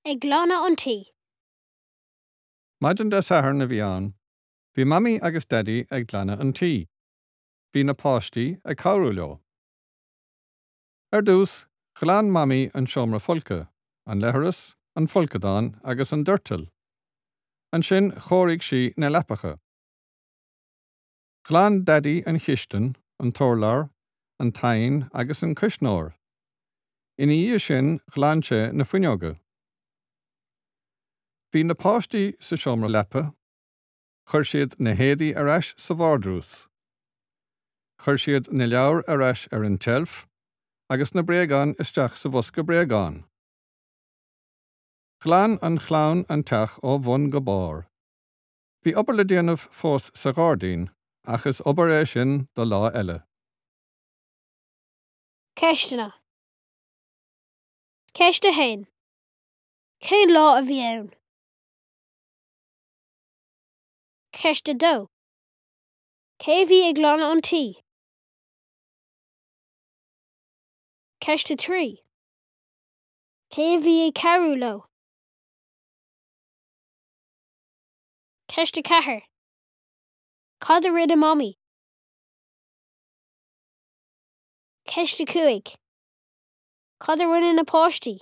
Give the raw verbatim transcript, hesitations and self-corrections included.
Ag glanadh an tí. Maidin Dé Sathairn a bhí ann. Bhí Mamaí agus Daidí ag glanadh an tí. Bhí na páistí ag cabhrú leo. Ar dtús, ghlan Mamaí an seomra folctha, an leithreas, an folcadán agus an doirteal. Ansin chóirigh sí na leapacha. Ghlan Daidí an chistin, an t-urlár, an t-oigheann agus an cuisneoir. Ina dhiaidh sin ghlan sé na fuinneoga. Bhí na páistí sa seomra leapa, chuir siad na héadaí ar ais sa vardrús. Chuir siad na leabhair ar ais ar an tseilf agus na bréagáin isteach sa bhosca bréagán. Ghlan an chlann an teach ó bhun go barr. Bhí obair le déanamh fós sa ghairdín, ach is obair é sin do lá eile. Ceisteanna. Ceist a haon. Cén lá a bhí ann? Ceist a dó. Cé bhí ag glanadh an tí? Ceist a trí. Cé bhí ag cabhrú leo? Ceist a ceathair. Cad a rinne Mamaí? Ceist a cúig. Cad a rinne na páistí?